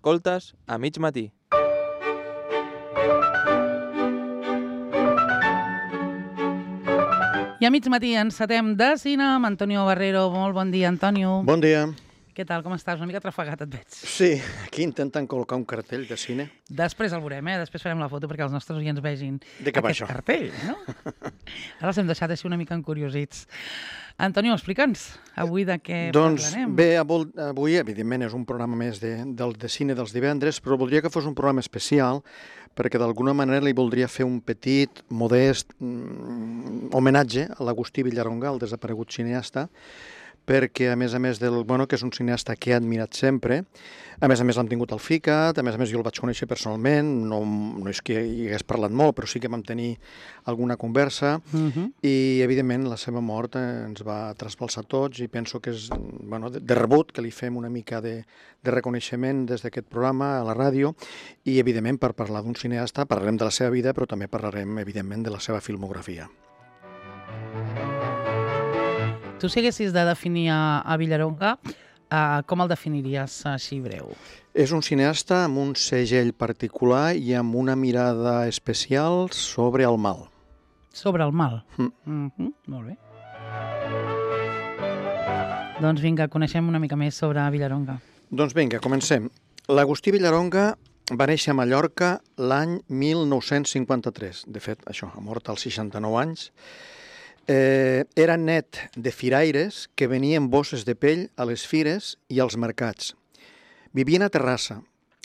Escoltes a mig matí. I a mig matí encetem de cine amb Antonio Barrero. Molt bon dia, Antonio. Bon dia. Què tal, com estàs? Una mica trafegat, et veig. Sí, aquí intenten col·locar un cartell de cine. Després el veurem, Després farem la foto perquè els nostres oients vegin De què va aquest això? cartell, no? Ara els hem deixat així una mica encuriosits. Antonio, explica'ns avui de què parlarem. Bé, avui, evidentment, és un programa més de cine dels divendres, però voldria que fos un programa especial perquè d'alguna manera li voldria fer un petit, modest homenatge a l'Agustí Villaronga, el desaparegut cineasta, perquè, a més que és un cineasta que he admirat sempre, a més l'hem tingut al FICAT, a més jo el vaig conèixer personalment, no és que hi hagués parlat molt, però sí que vam tenir alguna conversa, i, evidentment, la seva mort ens va trasbalsar tots, i penso que és de rebut que li fem una mica de reconeixement des d'aquest programa a la ràdio, i, evidentment, per parlar d'un cineasta, parlarem de la seva vida, però també parlarem, evidentment, de la seva filmografia. Tu, si haguessis de definir a Villaronga, com el definiries així breu? És un cineasta amb un segell particular i amb una mirada especial sobre el mal. Sobre el mal? Molt bé. Doncs vinga, coneixem una mica més sobre Villaronga. Doncs vinga, comencem. L'Agustí Villaronga va néixer a Mallorca l'any 1953. De fet, ha mort als 69 anys. Era net de firaires que venien bosses de pell a les fires i als mercats. Vivien a Terrassa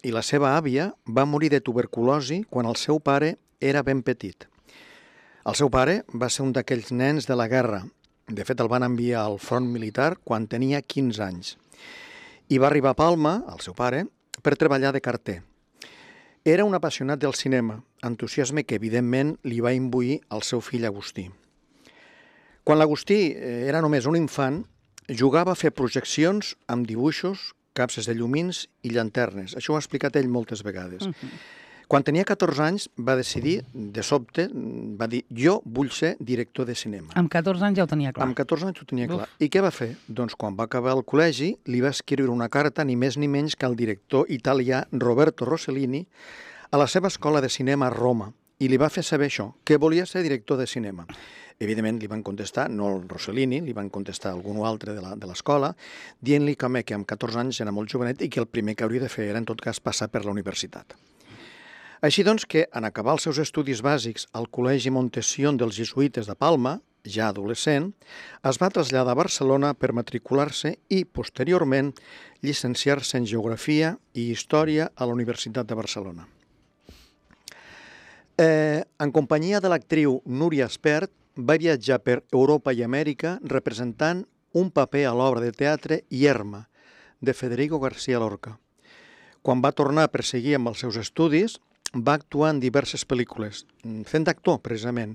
i la seva àvia va morir de tuberculosi quan el seu pare era ben petit. El seu pare va ser un d'aquells nens de la guerra. De fet, el van enviar al front militar quan tenia 15 anys. I va arribar a Palma, el seu pare, per treballar de carter. Era un apassionat del cinema, entusiasme que, evidentment, li va imbuir al seu fill Agustí. Quan l'Agustí era només un infant, jugava a fer projeccions amb dibuixos, capses de llumins i llanternes. Això ho ha explicat ell moltes vegades. Quan tenia 14 anys va decidir, de sobte, va dir, jo vull ser director de cinema. Amb 14 anys ja ho tenia clar. Amb 14 anys ho tenia clar. I què va fer? Doncs quan va acabar el col·legi li va escriure una carta ni més ni menys que al director italià Roberto Rossellini a la seva escola de cinema a Roma i li va fer saber això, que volia ser director de cinema. Evidentment li van contestar, no el Rossellini, li van contestar algun altre de l'escola, dient-li que amb 14 anys era molt jovenet i que el primer que hauria de fer era, en tot cas, passar per la universitat. Així doncs que, en acabar els seus estudis bàsics al Col·legi Montession dels Jesuïtes de Palma, ja adolescent, es va traslladar a Barcelona per matricular-se i, posteriorment, llicenciar-se en Geografia i Història a la Universitat de Barcelona. En companyia de l'actriu Núria Espert, va viatjar per Europa i Amèrica representant un paper a l'obra de teatre Yerma, de Federico García Lorca. Quan va tornar a perseguir amb els seus estudis, va actuar en diverses pel·lícules, fent d'actor, precisament.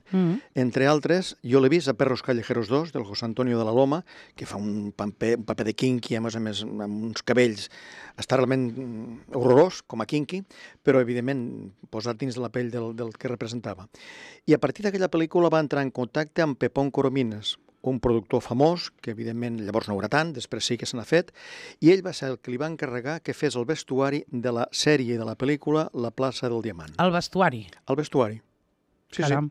Entre altres, jo l'he vist a Perros Callejeros 2, del José Antonio de la Loma, que fa un paper de Kinky, a més, amb uns cabells. Està realment horrorós, com a Kinky, però, evidentment, posat dins de la pell del que representava. I a partir d'aquella pel·lícula va entrar en contacte amb Pepón Coromines, un productor famós, que evidentment llavors no era tant, després sí que se n'ha fet, i ell va ser el que li va encarregar que fes el vestuari de la sèrie de la pel·lícula La plaça del Diamant. El vestuari? El vestuari. Sí, Caram.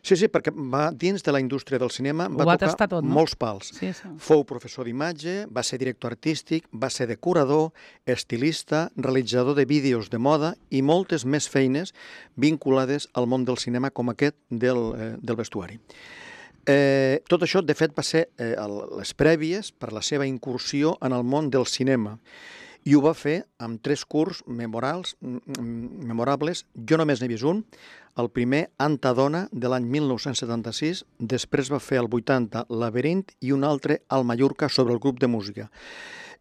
Sí, perquè va dins de la indústria del cinema, va tocar tot, no? molts pals. Sí. Fou professor d'imatge, va ser director artístic, va ser decorador, estilista, realitzador de vídeos de moda i moltes més feines vinculades al món del cinema com aquest del vestuari. Tot això, de fet, va ser les prèvies per la seva incursió en el món del cinema. I ho va fer amb 3 curts memorables. Jo només n'he vist un. El primer, Antadona, de l'any 1976. Després va fer el 80, Laberint, i un altre, al Mallorca, sobre el grup de música.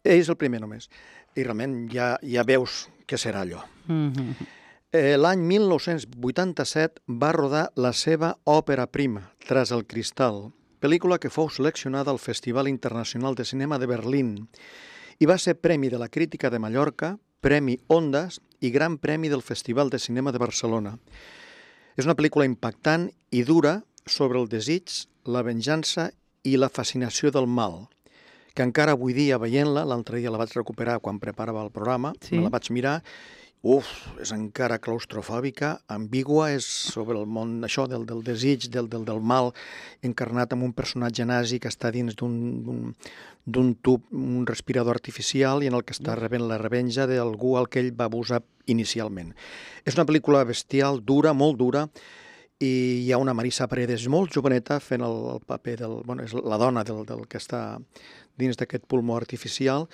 Ell és el primer només. I realment ja veus què serà allò. L'any 1987 va rodar la seva òpera prima, Tras el cristal, pel·lícula que fou seleccionada al Festival Internacional de Cinema de Berlín i va ser Premi de la Crítica de Mallorca, Premi Ondas i Gran Premi del Festival de Cinema de Barcelona. És una pel·lícula impactant i dura sobre el desig, la venjança i la fascinació del mal, que encara avui dia veient-la, l'altre dia la vaig recuperar quan preparava el programa, me la vaig mirar, és encara claustrofòbica, ambigua, és sobre el món, això del desig, del mal, encarnat amb un personatge nazi que està dins d'un tub, un respirador artificial i en el que està rebent la revenja d'algú al que ell va abusar inicialment. És una pel·lícula bestial, dura, molt dura, i hi ha una Marisa Paredes molt joveneta fent el paper és la dona del que està dins d'aquest pulmó artificial,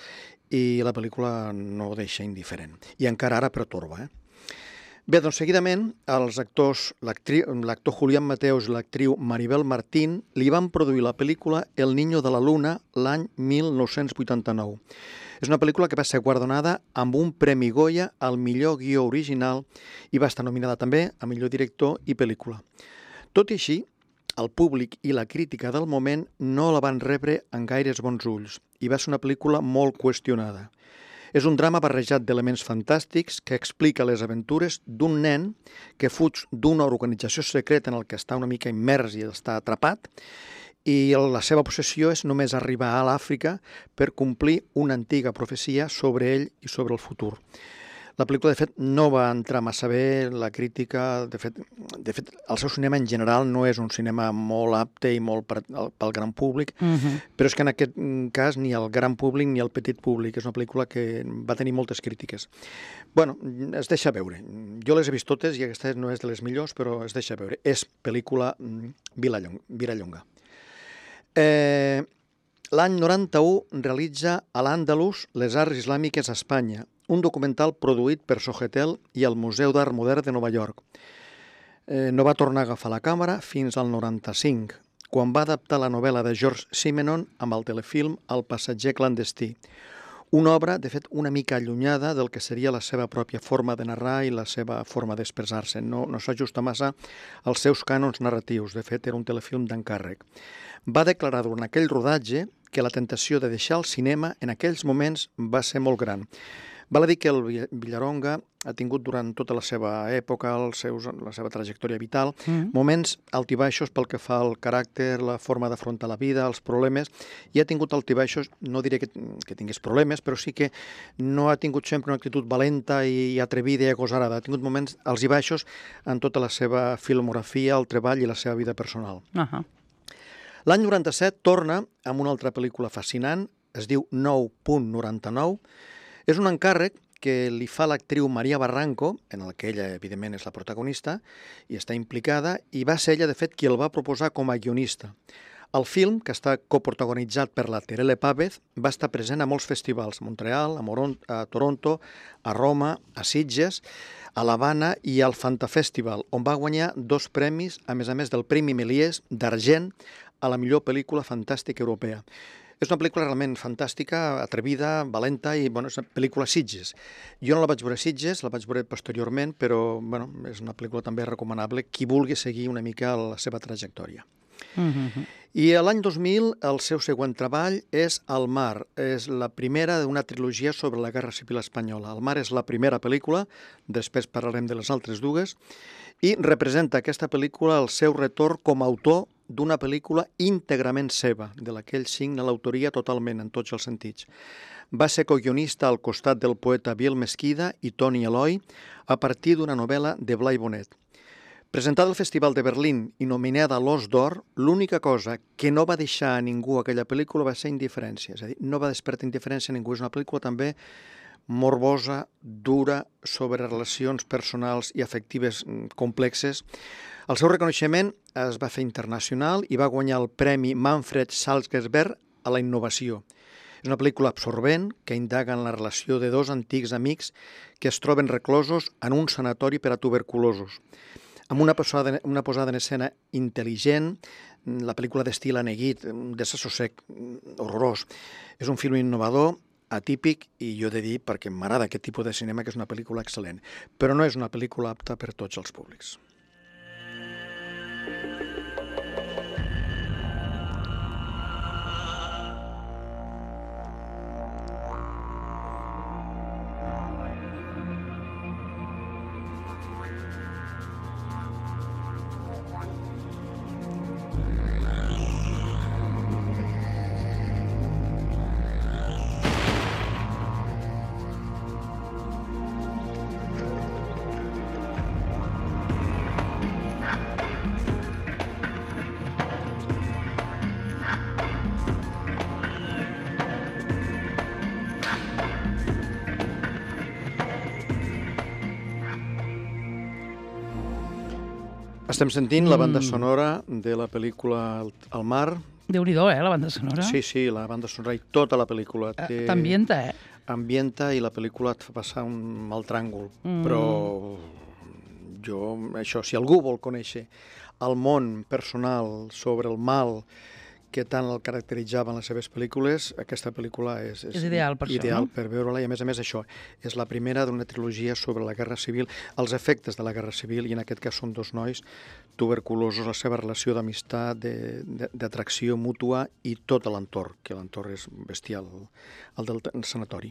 i la pel·lícula no ho deixa indiferent. I encara ara pertorba. Bé, doncs seguidament, els actors, l'actor Julián Mateos i l'actriu Maribel Martín li van produir la pel·lícula El niño de la luna l'any 1989. És una pel·lícula que va ser guardonada amb un Premi Goya al millor guió original i va estar nominada també a millor director i pel·lícula. Tot i així, el públic i la crítica del moment no la van rebre en gaires bons ulls i va ser una pel·lícula molt qüestionada. És un drama barrejat d'elements fantàstics que explica les aventures d'un nen que fuig d'una organització secreta en el que està una mica immers i està atrapat, i la seva obsessió és només arribar a l'Àfrica per complir una antiga profecia sobre ell i sobre el futur. La pel·lícula, de fet, no va entrar massa bé, la crítica, de fet, el seu cinema en general no és un cinema molt apte i molt pel gran públic, però és que en aquest cas ni el gran públic ni el petit públic. És una pel·lícula que va tenir moltes crítiques. Bueno, es deixa veure. Jo les he vist totes i aquesta no és de les millors, però es deixa veure. És pel·lícula Vilallonga. L'any 91 realitza a l'Àndalus les arts islàmiques a Espanya, un documental produït per Sogetel i el Museu d'Art Modern de Nova York. No va tornar a agafar la càmera fins al 95, quan va adaptar la novel·la de George Simenon amb el telefilm El passatger clandestí, una obra, de fet, una mica allunyada del que seria la seva pròpia forma de narrar i la seva forma d'expressar-se. No s'ajusta massa als seus cànons narratius. De fet, era un telefilm d'encàrrec. Va declarar durant aquell rodatge que la tentació de deixar el cinema en aquells moments va ser molt gran. Val a dir que el Vilallonga ha tingut durant tota la seva època, la seva trajectòria vital, moments altibaixos pel que fa al caràcter, la forma d'afrontar la vida, els problemes, i ha tingut altibaixos, no diré que tingués problemes, però sí que no ha tingut sempre una actitud valenta i atrevida i agosarada. Ha tingut moments alts i baixos en tota la seva filmografia, el treball i la seva vida personal. L'any 97 torna amb una altra pel·lícula fascinant, es diu 9.99, és un encàrrec que li fa l'actriu Maria Barranco, en el que ella, evidentment, és la protagonista, i està implicada, i va ser ella, de fet, qui el va proposar com a guionista. El film, que està coprotagonitzat per la Terele Pávez, va estar present a molts festivals, a Montreal, a Toronto, a Roma, a Sitges, a l'Havana i al Fanta Festival, on va guanyar 2 premis, a més del Premi Méliès d'argent a la millor pel·lícula fantàstica europea. És una pel·lícula realment fantàstica, atrevida, valenta i és una pel·lícula Sitges. Jo no la vaig veure a Sitges, la vaig veure posteriorment, però és una pel·lícula també recomanable qui vulgui seguir una mica la seva trajectòria. I l'any 2000 el seu següent treball és El mar. És la primera d'una trilogia sobre la Guerra Civil Espanyola. El mar és la primera pel·lícula, després parlarem de les altres dues, i representa aquesta pel·lícula el seu retorn com a autor d'una pel·lícula íntegrament seva, de la que ell signa l'autoria totalment, en tots els sentits. Va ser coguionista al costat del poeta Biel Mesquida i Toni Eloi a partir d'una novel·la de Blai Bonet. Presentada al Festival de Berlín i nominada a l'Os d'Or, l'única cosa que no va deixar a ningú aquella pel·lícula va ser indiferència. És a dir, no va despertar indiferència a ningú. És una pel·lícula també morbosa, dura, sobre relacions personals i afectives complexes. El seu reconeixement es va fer internacional i va guanyar el Premi Manfred Salzgeber a la innovació. És una pel·lícula absorbent que indaga en la relació de 2 antics amics que es troben reclosos en un sanatori per a tuberculosos. Amb una posada en escena intel·ligent, la pel·lícula d'estil aneguit, un desassossec horrorós. És un film innovador, atípic, i jo he de dir, perquè m'agrada aquest tipus de cinema, que és una pel·lícula excel·lent. Però no és una pel·lícula apta per tots els públics. Estem sentint la banda sonora de la pel·lícula El mar. Déu-n'hi-do, la banda sonora. Sí, la banda sonora i tota la pel·lícula. T'ambienta, Ambienta i la pel·lícula et fa passar un mal tràngol. Però si algú vol conèixer el món personal sobre el mal que tant el caracteritzava en les seves pel·lícules, aquesta pel·lícula és ideal per això, ideal no? per veure-la, i a més això, és la primera d'una trilogia sobre la Guerra Civil, els efectes de la Guerra Civil, i en aquest cas són dos nois tuberculosos, la seva relació d'amistat, d'atracció mútua i tot l'entorn, que l'entorn és bestial, el del sanatori.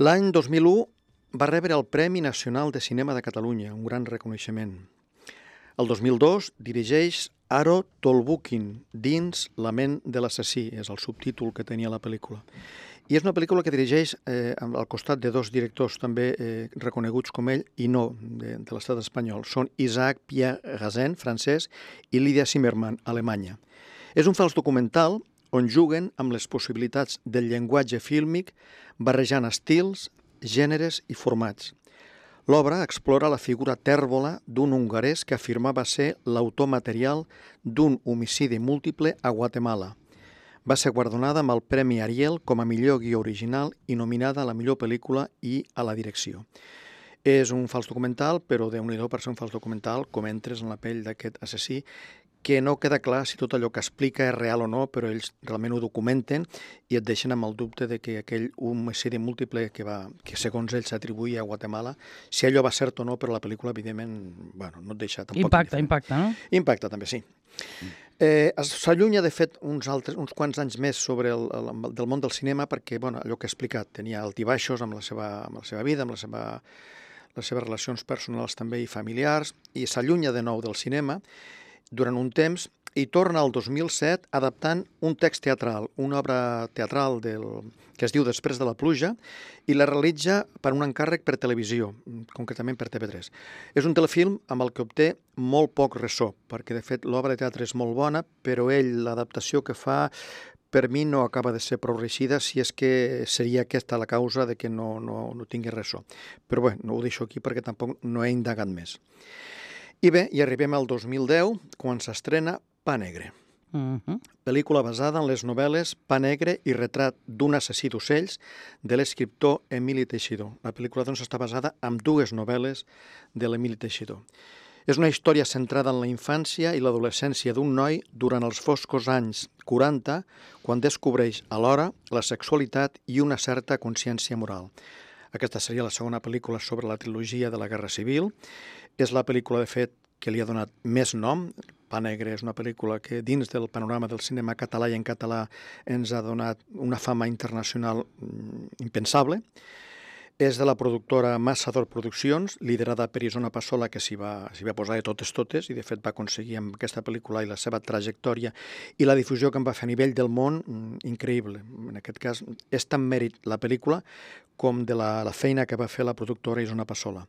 L'any 2001 va rebre el Premi Nacional de Cinema de Catalunya, un gran reconeixement. El 2002 dirigeix Aro Tolbukin, dins La ment de l'assassí, és el subtítol que tenia la pel·lícula. I és una pel·lícula que dirigeix al costat de dos directors també reconeguts com ell i no de l'estat espanyol. Són Isaac Pierre Gazin, francès, i Lydia Zimmermann, alemanya. És un fals documental on juguen amb les possibilitats del llenguatge fílmic barrejant estils, gèneres i formats. L'obra explora la figura tèrbola d'un hongarès que afirmava ser l'autor material d'un homicidi múltiple a Guatemala. Va ser guardonada amb el Premi Ariel com a millor guió original i nominada a la millor pel·lícula i a la direcció. És un fals documental, però déu-n'hi-do per ser un fals documental, com entres en la pell d'aquest assassí, que no queda clar si tot allò que explica és real o no, però ells realment ho documenten i et deixen amb el dubte de que aquell homicidi múltiple que segons ells s'atribuïa a Guatemala, si allò va cert o no, però la pel·lícula, evidentment, no et deixa tampoc... Impacta, no? Impacta, també, sí. S'allunya, de fet, uns quants anys més del món del cinema perquè, allò que he explicat, tenia altibaixos amb la seva vida, amb les seves relacions personals també i familiars, i s'allunya de nou del cinema durant un temps i torna al 2007 adaptant un text teatral, una obra teatral que es diu Després de la pluja, i la realitza per un encàrrec per televisió, concretament per TV3. És un telefilm amb el que obté molt poc ressò, perquè de fet l'obra de teatre és molt bona, però l'adaptació que fa per mi no acaba de ser prou reeixida, si és que seria aquesta la causa de que no tingui ressò. Però bé, no ho deixo aquí perquè tampoc no he indagat més. I bé, i arribem al 2010, quan s'estrena Pa Negre. Pel·lícula basada en les novel·les Pa Negre i retrat d'un assassí d'ocells de l'escriptor Emili Teixidor. La pel·lícula doncs està basada en dues novel·les de l'Emili Teixidor. És una història centrada en la infància i l'adolescència d'un noi durant els foscos anys 40, quan descobreix alhora la sexualitat i una certa consciència moral. Aquesta seria la segona pel·lícula sobre la trilogia de la Guerra Civil. És la pel·lícula, de fet, que li ha donat més nom. Pa Negre és una pel·lícula que dins del panorama del cinema català i en català ens ha donat una fama internacional impensable. És de la productora Massador Produccions, liderada per Isona Passola, que s'hi va posar de totes, i de fet va aconseguir amb aquesta pel·lícula i la seva trajectòria i la difusió que en va fer a nivell del món, increïble. En aquest cas, és tan mèrit la pel·lícula com de la feina que va fer la productora Isona Passola.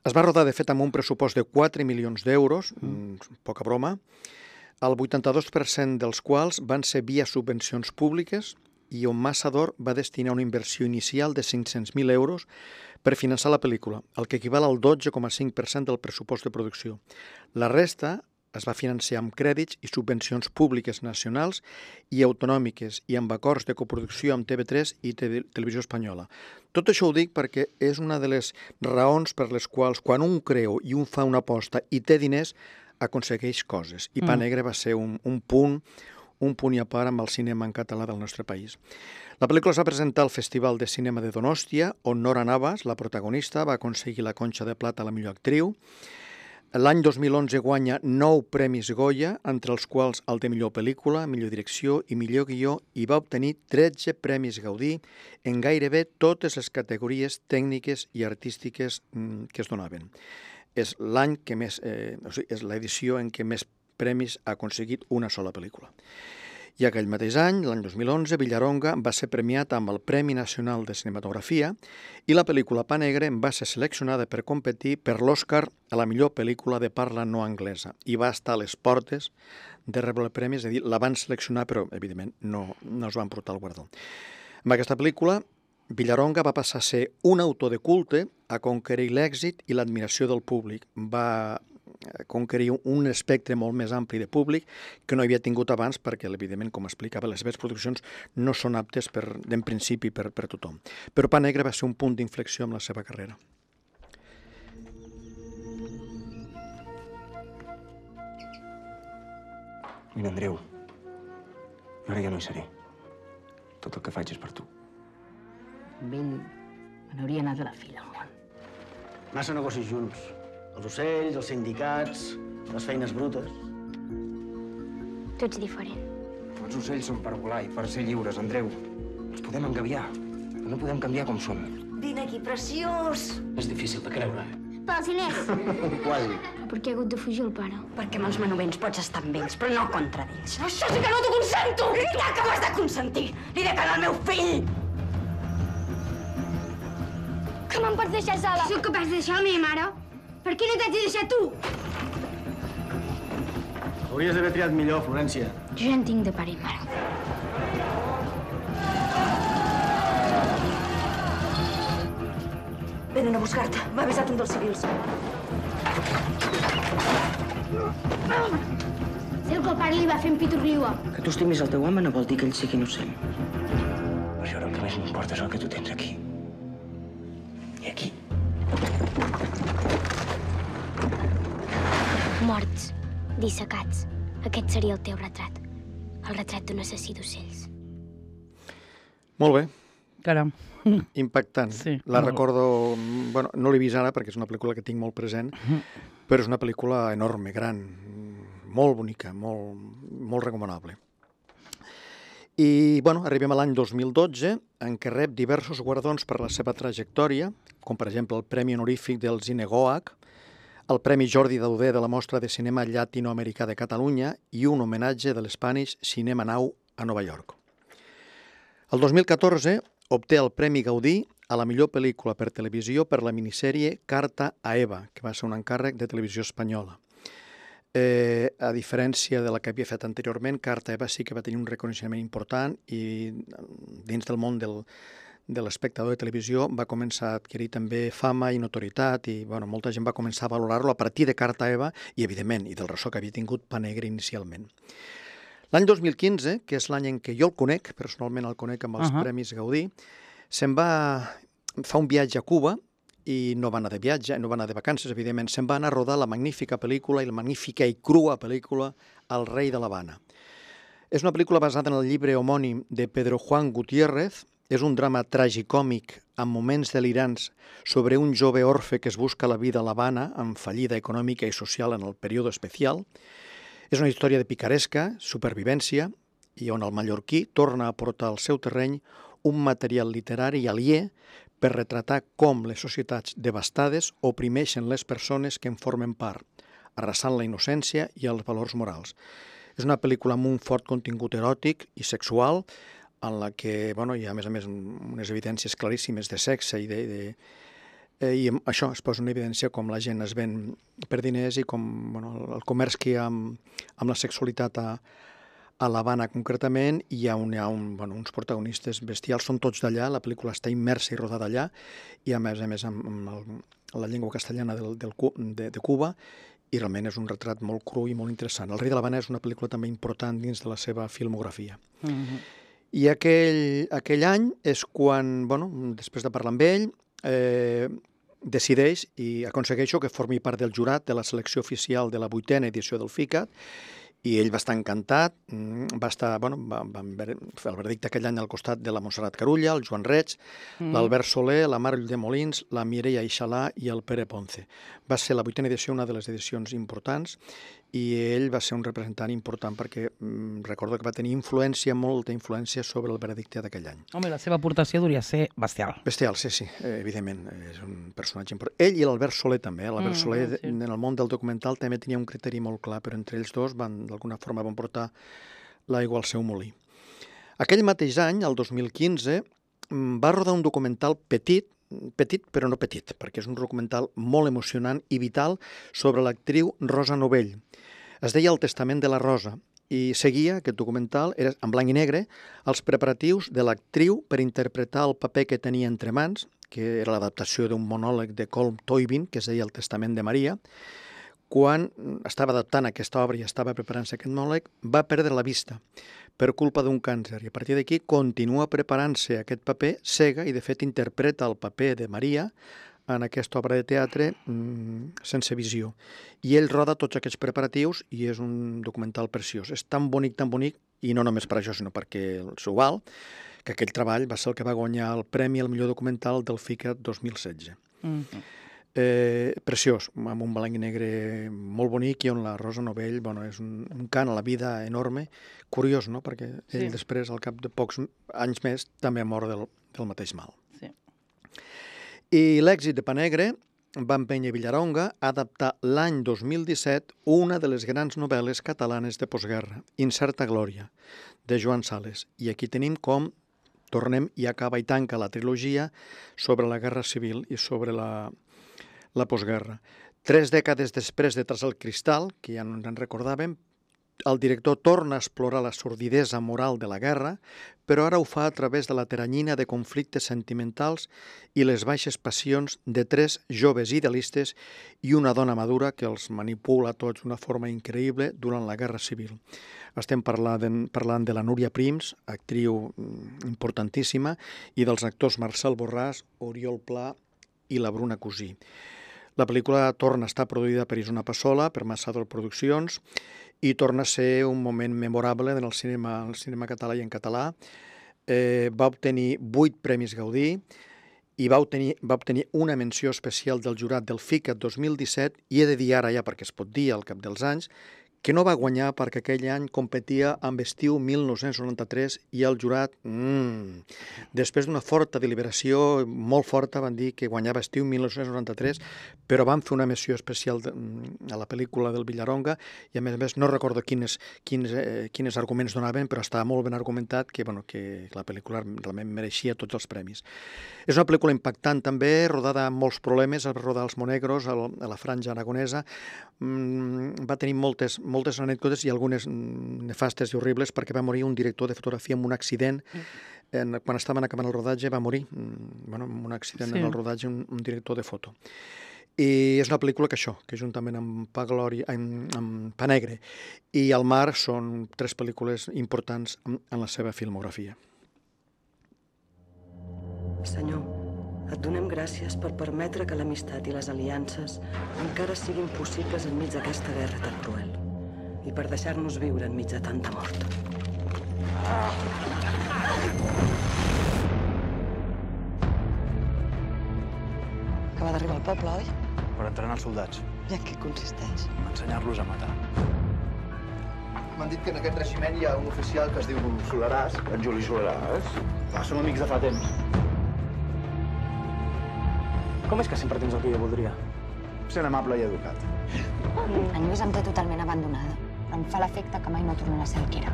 Es va rodar, de fet, amb un pressupost de 4 milions d'euros, poca broma, el 82% dels quals van ser via subvencions públiques i on Massador va destinar una inversió inicial de 500.000 euros per finançar la pel·lícula, el que equival al 12,5% del pressupost de producció. La resta es va financiar amb crèdits i subvencions públiques nacionals i autonòmiques i amb acords de coproducció amb TV3 i Televisió Espanyola. Tot això ho dic perquè és una de les raons per les quals quan un creu i un fa una aposta i té diners, aconsegueix coses. I Pa Negre va ser un punt i a part amb el cinema en català del nostre país. La pel·lícula es va presentar al Festival de Cinema de Donòstia, on Nora Navas, la protagonista, va aconseguir la Conxa de Plata a la millor actriu. L'any 2011 guanya 9 premis Goya, entre els quals el de millor pel·lícula, millor direcció i millor guió, i va obtenir 13 premis Gaudí en gairebé totes les categories tècniques i artístiques que es donaven. És l'any que més, és l'edició en què més premis ha aconseguit una sola pel·lícula. I aquell mateix any, l'any 2011, Villaronga va ser premiat amb el Premi Nacional de Cinematografia i la pel·lícula Pa Negre va ser seleccionada per competir per l'Oscar a la millor pel·lícula de parla no anglesa i va estar a les portes de rebre el premi, és a dir, la van seleccionar però, evidentment, no es van portar el guardó. Amb aquesta pel·lícula, Villaronga va passar a ser un autor de culte a conquerir l'èxit i l'admiració del públic. Va conquerir un espectre molt més ampli de públic que no havia tingut abans perquè, evidentment, com explicava, les seves produccions no són aptes en principi per tothom. Però Pa Negre va ser un punt d'inflexió en la seva carrera. Mira, Andreu, ara ja no hi seré. Tot el que faig és per tu. Amb ell me n'hauria anat a la fila al món. Massa negocis junts. Els ocells, els sindicats, les feines brutes. Tu ets diferent. Els ocells són per volar i per ser lliures, Andreu. Els podem engabiar, però no podem canviar com som. Vine aquí, preciós! És difícil de creure. Pels diners! Qual? Per què ha hagut de fugir el pare? Perquè amb els manovents pots estar amb ells, però no contra d'ells. Això sí que no t'ho consento! Ja que m'has de consentir! Li he de quedar al meu fill! Que me'n pots deixar sola? Sóc capaç de deixar la meva mare? Per què no t'haig de deixar tu? Hauries d'haver triat millor, Florència. Jo ja en tinc de pare i mare. Venen a buscar-te. M'ha avisat un dels civils. Sé que el pare li va fer en pitorriua. Que tu estimis el teu home no vol dir que ell sigui innocent. Per això ara el que més m'importa és el que tu tens aquí. I aquí. Morts, dissecats. Aquest seria el teu retrat. El retrat d'un assassí d'ocells. Molt bé. Caram. Impactant. Sí, La molt. recordo... Bueno, no l'he vist ara perquè és una pel·lícula que tinc molt present, però és una pel·lícula enorme, gran, molt bonica, molt recomanable. I, bueno, arribem a l'any 2012, en què rep diversos guardons per la seva trajectòria, com per exemple el Premi Honorífic del Cinegoag, el Premi Jordi Dauder de la Mostra de Cinema Llatinoamericà de Catalunya i un homenatge de l'Spanish Cinema Now a Nova York. El 2014 obté el Premi Gaudí a la millor pel·lícula per televisió per la minissèrie Carta a Eva, que va ser un encàrrec de Televisió Espanyola. A diferència de la que havia fet anteriorment, Carta a Eva sí que va tenir un reconeixement important i dins del món de l'espectador de televisió va començar a adquirir també fama i notorietat i molta gent va començar a valorar-lo a partir de Carta a Eva i, evidentment, i del ressò que havia tingut Pa Negre inicialment. L'any 2015, que és l'any en què jo el conec, personalment el conec amb els Premis Gaudí, fa un viatge a Cuba i no va anar de viatge, no va anar de vacances, evidentment, se'n va anar a rodar la magnífica pel·lícula i la magnífica i crua pel·lícula El rei de l'Havana. És una pel·lícula basada en el llibre homònim de Pedro Juan Gutiérrez, és un drama tragicòmic amb moments delirants sobre un jove orfe que es busca la vida a l'Havana amb fallida econòmica i social en el període especial. És una història de picaresca, supervivència, i on el mallorquí torna a portar al seu terreny un material literari aliè per retratar com les societats devastades oprimeixen les persones que en formen part, arrasant la innocència i els valors morals. És una pel·lícula amb un fort contingut eròtic i sexual, en la que hi ha, a més, unes evidències claríssimes de sexe i això es posa en evidència com la gent es ven per diners i com el comerç que hi ha amb la sexualitat a l'Havana concretament, hi ha uns protagonistes bestials, són tots d'allà, la pel·lícula està immersa i rodada allà, i a més amb la llengua castellana de Cuba, i realment és un retrat molt cru i molt interessant. El rei de l'Havana és una pel·lícula també important dins de la seva filmografia. I aquell any és quan, després de parlar amb ell, decideix i aconsegueixo que formi part del jurat de la selecció oficial de la 8a edició del FICAT i ell va estar encantat, va fer el veredicte aquell any al costat de la Montserrat Carulla, el Joan Reig, l'Albert Soler, la Mar Ulldemolins, la Mireia Ixalà i el Pere Ponce. Va ser la 8a edició una de les edicions importants i ell va ser un representant important perquè recordo que va tenir molta influència sobre el veredicte d'aquell any. Home, la seva aportació hauria de ser bestial. Bestial, sí, evidentment, és un personatge important. Ell i l'Albert Soler també, l'Albert Soler en el món del documental també tenia un criteri molt clar, però entre ells dos d'alguna forma van portar l'aigua al seu molí. Aquell mateix any, el 2015, va rodar un documental petit però no petit, perquè és un documental molt emocionant i vital sobre l'actriu Rosa Novell. Es deia El testament de la Rosa i seguia, aquest documental, era en blanc i negre, els preparatius de l'actriu per interpretar el paper que tenia entre mans, que era l'adaptació d'un monòleg de Colm Toibin, que es deia El testament de Maria, quan estava adaptant aquesta obra i estava preparant-se aquest monòleg, va perdre la vista per culpa d'un càncer. I a partir d'aquí continua preparant-se aquest paper cega i, de fet, interpreta el paper de Maria en aquesta obra de teatre sense visió. I ell roda tots aquests preparatius i és un documental preciós. És tan bonic, i no només per això, sinó perquè s'ho val, que aquell treball va ser el que va guanyar el Premi al millor documental del FICA 2016. Preciós, amb un blanc i negre molt bonic i on la Rosa Novell és un cant a la vida enorme, curiós, no?, perquè ell després, al cap de pocs anys més, també ha mort del mateix mal. Sí. I l'èxit de Pa Negre va empènyer Villaronga a adaptar l'any 2017 una de les grans novel·les catalanes de postguerra, Incerta glòria, de Joan Sales. I aquí tenim com tornem i acaba i tanca la trilogia sobre la Guerra Civil i sobre la postguerra. 3 dècades després de Tras el cristal, que ja no ens en recordàvem, el director torna a explorar la sordidesa moral de la guerra, però ara ho fa a través de la teranyina de conflictes sentimentals i les baixes passions de 3 joves idealistes i una dona madura que els manipula tots d'una forma increïble durant la Guerra Civil. Estem parlant de la Núria Prims, actriu importantíssima, i dels actors Marcel Borràs, Oriol Pla i la Bruna Cosí. La pel·lícula torna a estar produïda per Isona Passola, per Massador Produccions, i torna a ser un moment memorable en el cinema català i en català. Va obtenir 8 Premis Gaudí i va obtenir una menció especial del jurat del FICA 2017, i he de dir ara ja, perquè es pot dir al cap dels anys, que no va guanyar perquè aquell any competia amb Estiu 1993 i el jurat, després d'una forta deliberació, molt forta, van dir que guanyava Estiu 1993, però van fer una menció especial a la pel·lícula del Villaronga i, a més, no recordo quins arguments donaven, però estava molt ben argumentat que la pel·lícula realment mereixia tots els premis. És una pel·lícula impactant també, rodada amb molts problemes, va rodar als Monegros, a la Franja Aragonesa, va tenir moltes anècdotes i algunes nefastes i horribles, perquè va morir un director de fotografia amb un accident. Quan estaven acabant el rodatge va morir, amb un accident en el rodatge, un director de foto. I és una pel·lícula que juntament amb Pa Negre i El mar són 3 pel·lícules importants en la seva filmografia. Senyor, et donem gràcies per permetre que l'amistat i les aliances encara siguin possibles enmig d'aquesta guerra tan cruel i per deixar-nos viure enmig de tanta mort. Acaba d'arribar al poble, oi? Per entrenar els soldats. I en què consisteix? Ensenyar-los a matar. M'han dit que en aquest regiment hi ha un oficial que es diu Soleràs. En Juli Soleràs? Som amics de fa temps. Com és que sempre tens el que jo voldria? Sent amable i educat. En Lluís em té totalment abandonada. Em fa l'efecte que mai no tornarà a ser el que era.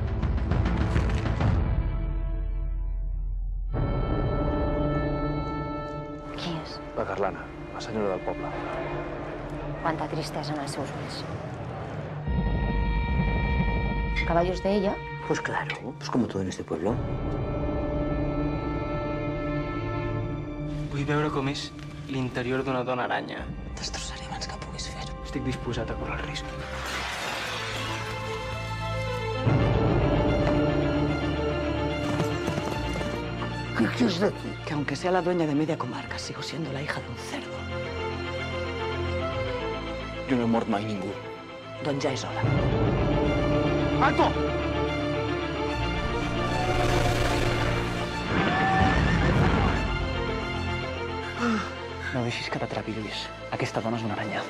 Qui és? La Carlana, la senyora del poble. Quanta tristesa en els seus ulls. ¿Caballos de ella? Pues claro, pues como todo en este pueblo. Vull veure com és l'interior d'una dona aranya. Destrossaré abans que puguis fer-ho. Estic disposat a córrer el risc. ¿Qué quieres decir? Que aunque sea la dueña de media comarca, sigo siendo la hija d'un cerdo. Jo no he mort mai ningú. Doncs ja és hora. Alto! No deixis que t'atrapi, Lluís. Aquesta dona és una aranya.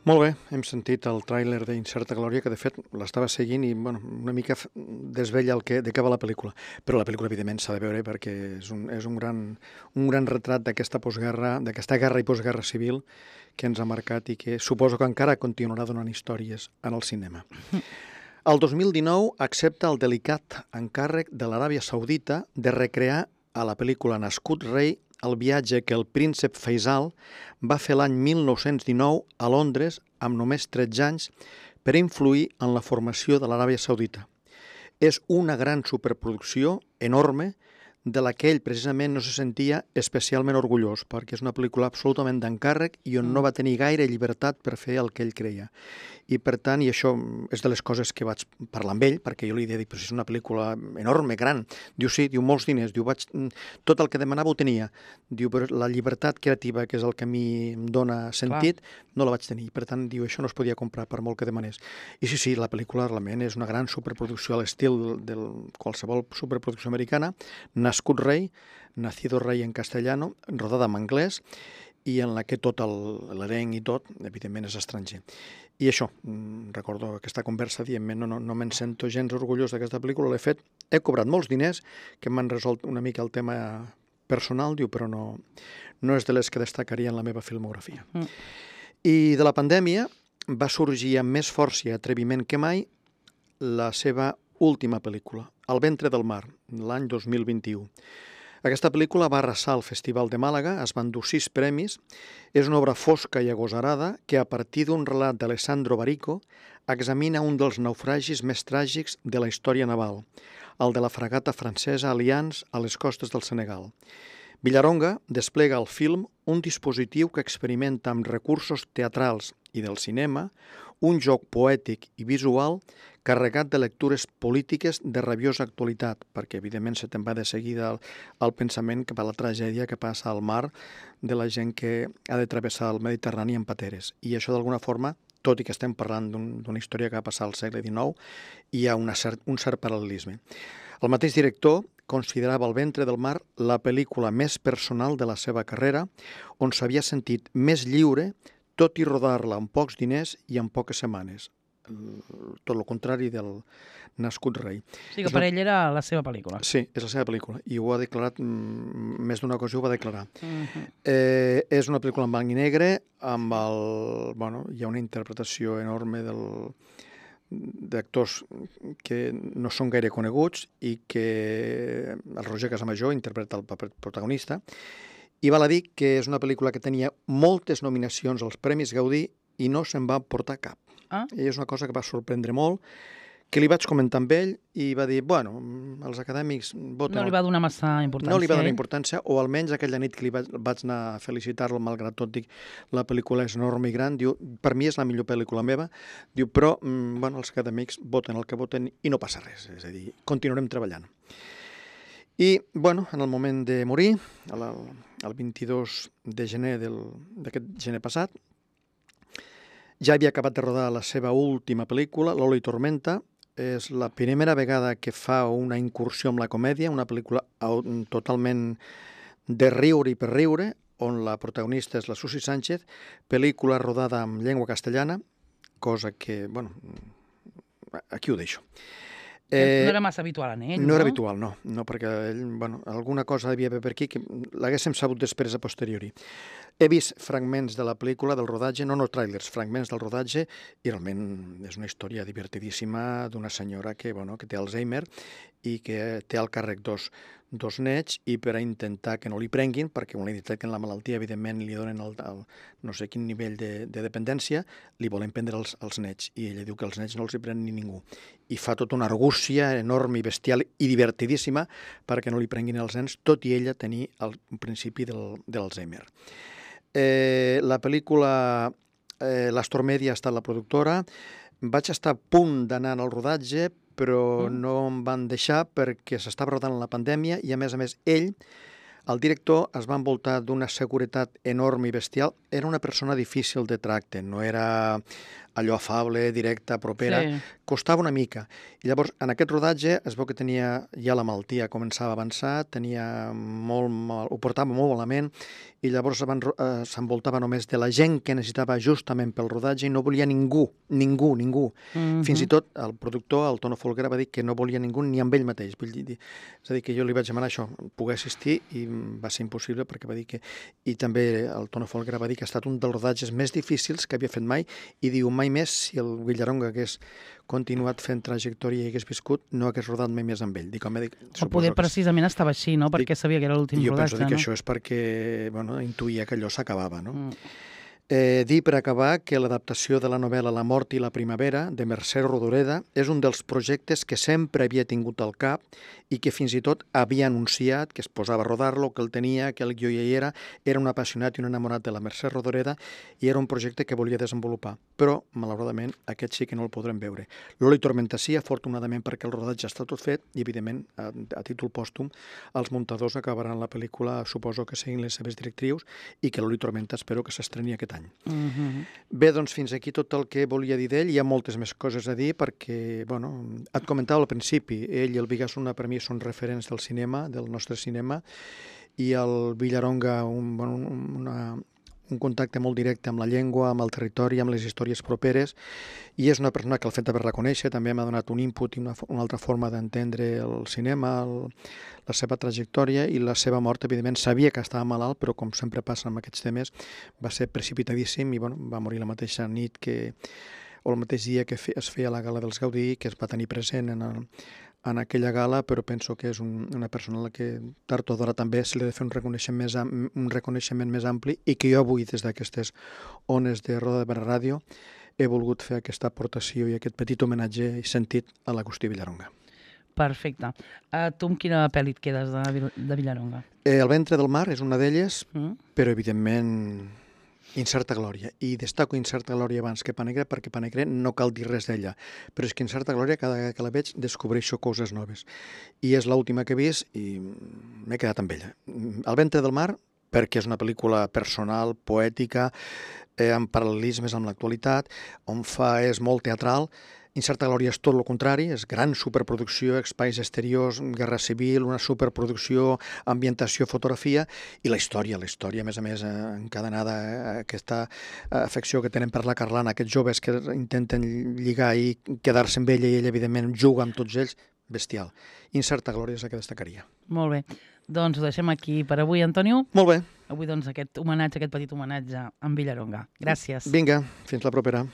Molt bé, hem sentit el tràiler d'Incerta glòria, que de fet l'estava seguint i una mica desvella de què va la pel·lícula. Però la pel·lícula, evidentment, s'ha de veure perquè és un gran retrat d'aquesta postguerra, d'aquesta guerra i postguerra civil que ens ha marcat i que suposo que encara continuarà donant històries en el cinema. El 2019 accepta el delicat encàrrec de l'Aràbia Saudita de recrear a la pel·lícula Nascut rei el viatge que el príncep Faisal va fer l'any 1919 a Londres amb només 13 anys per influir en la formació de l'Aràbia Saudita. És una gran superproducció enorme de la que ell precisament no se sentia especialment orgullós, perquè és una pel·lícula absolutament d'encàrrec i on no va tenir gaire llibertat per fer el que ell creia. I per tant, i això és de les coses que vaig parlar amb ell, perquè jo li he dit, però si és una pel·lícula enorme, gran. Diu, sí, diu, molts diners, diu, tot el que demanava ho tenia. Diu, però la llibertat creativa, que és el que a mi em dona sentit, no la vaig tenir. Per tant, diu, això no es podia comprar per molt que demanés. I sí, la pel·lícula realment és una gran superproducció a l'estil de qualsevol superproducció americana, Nascut rei, Nacido rei en castellano, rodada en anglès, i en la que tot l'elenc i tot, evidentment, és estranger. I això, recordo aquesta conversa dient no me'n sento gens orgullós d'aquesta pel·lícula, l'he fet, he cobrat molts diners, que m'han resolt una mica el tema personal, diu, però no és de les que destacaria en la meva filmografia. I de la pandèmia va sorgir amb més força i atreviment que mai la seva última pel·lícula, El ventre del mar, l'any 2021. Aquesta pel·lícula va arrasar al Festival de Màlaga, es van dur 6 premis, és una obra fosca i agosarada que a partir d'un relat d'Alessandro Barico examina un dels naufragis més tràgics de la història naval, el de la fragata francesa Alliance a les costes del Senegal. Villaronga desplega al film un dispositiu que experimenta amb recursos teatrals i del cinema un joc poètic i visual carregat de lectures polítiques de rabiosa actualitat, perquè evidentment se te'n va de seguida el pensament cap a la tragèdia que passa al mar de la gent que ha de travessar el Mediterrani en pateres. I això d'alguna forma, tot i que estem parlant d'una història que va passar al segle XIX, hi ha un cert paral·lelisme. El mateix director considerava El ventre del mar la pel·lícula més personal de la seva carrera, on s'havia sentit més lliure, tot i rodar-la amb pocs diners i en poques setmanes. Tot el contrari del Nascut rei. O sigui que per ell era la seva pel·lícula. Sí, és la seva pel·lícula. I ho ha declarat, més d'una ocasió ho va declarar. És una pel·lícula en blanc i negre, amb hi ha una interpretació enorme d'actors que no són gaire coneguts i que el Roger Casamajor interpreta el paper protagonista. I val a dir que és una pel·lícula que tenia moltes nominacions als Premis Gaudí i no se'n va portar cap. I és una cosa que va sorprendre molt, que li vaig comentar amb ell i va dir, els acadèmics voten... No li va donar massa importància. No li va donar importància, o almenys aquella nit que li vaig anar a felicitar-lo, malgrat tot, dic, la pel·lícula és enorme i gran, diu, per mi és la millor pel·lícula meva, diu, però, els acadèmics voten el que voten i no passa res, és a dir, continuarem treballant. I, en el moment de morir, el 22 de gener d'aquest gener passat, ja havia acabat de rodar la seva última pel·lícula, Lola i Tormenta. És la primera vegada que fa una incursió amb la comèdia, una pel·lícula totalment de riure i per riure, on la protagonista és la Susi Sánchez, pel·lícula rodada en llengua castellana, cosa que, aquí ho deixo. No era massa habitual en ell, no? No era habitual, no, perquè ell, alguna cosa devia haver per aquí que l'haguéssim sabut després a posteriori. He vist fragments de la pel·lícula, del rodatge, no tràilers, fragments del rodatge, i realment és una història divertidíssima d'una senyora que té Alzheimer i que té al càrrec dos nets, i per a intentar que no li prenguin, perquè quan li detecten la malaltia, evidentment li donen no sé quin nivell de dependència, li volen prendre els nets, i ella diu que els nets no els hi pren ni ningú. I fa tota una argúcia enorme i bestial i divertidíssima perquè no li prenguin els nens, tot i ella tenir el principi de l'Alzheimer. La pel·lícula l'Astor Media ha estat la productora. Vaig estar a punt d'anar al rodatge, però no em van deixar perquè s'estava rodant la pandèmia i, a més, ell, el director, es va envoltar d'una seguretat enorme i bestial. Era una persona difícil de tracte, no era allò afable, directa, propera, costava una mica. I llavors, en aquest rodatge, es veu que tenia ja la malaltia, començava a avançar, ho portava molt malament, i llavors s'envoltava només de la gent que necessitava justament pel rodatge i no volia ningú. Fins i tot el productor, el Tono Folguera, va dir que no volia ningú ni amb ell mateix. És a dir, que jo li vaig demanar això, poder assistir, i va ser impossible perquè va dir que... I també el Tono Folguera va dir que ha estat un dels rodatges més difícils que havia fet mai, i diu, mai més, si el Villaronga hagués continuat fent trajectòria i hagués viscut, no hagués rodat mai més amb ell. O poder precisament estava així, no? Perquè sabia que era l'últim rodatge. Jo penso que això és perquè intuïa que allò s'acabava, no? Dir per acabar que l'adaptació de la novel·la La mort i la primavera, de Mercè Rodoreda, és un dels projectes que sempre havia tingut al cap i que fins i tot havia anunciat que es posava a rodar-lo, que el tenia, que el guió ja hi era. Era un apassionat i un enamorat de la Mercè Rodoreda i era un projecte que volia desenvolupar. Però, malauradament, aquest sí que no el podrem veure. L'Oli Tormenta sí, afortunadament, perquè el rodatge està tot fet i, evidentment, a títol pòstum, els muntadors acabaran la pel·lícula, suposo que seguint les seves directrius, i que l'Oli Tormenta espero que s'estreni aquest any. Bé, doncs fins aquí tot el que volia dir d'ell. Hi ha moltes més coses a dir perquè, bueno, et comentava al principi, ell i el Bigasuna per mi són referents del cinema, del nostre cinema, i el Villaronga un contacte molt directe amb la llengua, amb el territori, amb les històries properes, i és una persona que el fet d'haver-la conèixer també m'ha donat un input i una altra forma d'entendre el cinema, la seva trajectòria i la seva mort. Evidentment, sabia que estava malalt, però com sempre passa amb aquests temes, va ser precipitadíssim i va morir la mateixa nit o el mateix dia que es feia la gala dels Gaudí, que es va tenir present en aquella gala, però penso que és una persona a la que tard o d'hora també se li ha de fer un reconeixement més ampli i que jo avui, des d'aquestes ones de Roda de Barra Ràdio, he volgut fer aquesta aportació i aquest petit homenatge i sentit a l'Agustí Villaronga. Perfecte. Tu amb quina pel·li et quedes de Villaronga? El ventre del mar és una d'elles, però evidentment Incerta glòria. I destaco Incerta glòria abans que Panegre perquè Panegre no cal dir res d'ella. Però és que Incerta glòria, cada vegada que la veig, descobreixo coses noves. I és l'última que he vist i m'he quedat amb ella. El ventre del mar, perquè és una pel·lícula personal, poètica, amb paral·lelismes amb l'actualitat, on és molt teatral. Incerta glòria és tot el contrari, és gran superproducció, espais exteriors, guerra civil, una superproducció, ambientació, fotografia, i la història, a més a més, encadenada, aquesta afecció que tenen per la Carlana, aquests joves que intenten lligar i quedar-se amb ella i ella, evidentment, juga amb tots ells, bestial. Incerta glòria és la que destacaria. Molt bé. Doncs ho deixem aquí per avui, Antonio. Molt bé. Avui, doncs, aquest petit homenatge a en Villaronga. Gràcies. Vinga, fins la propera.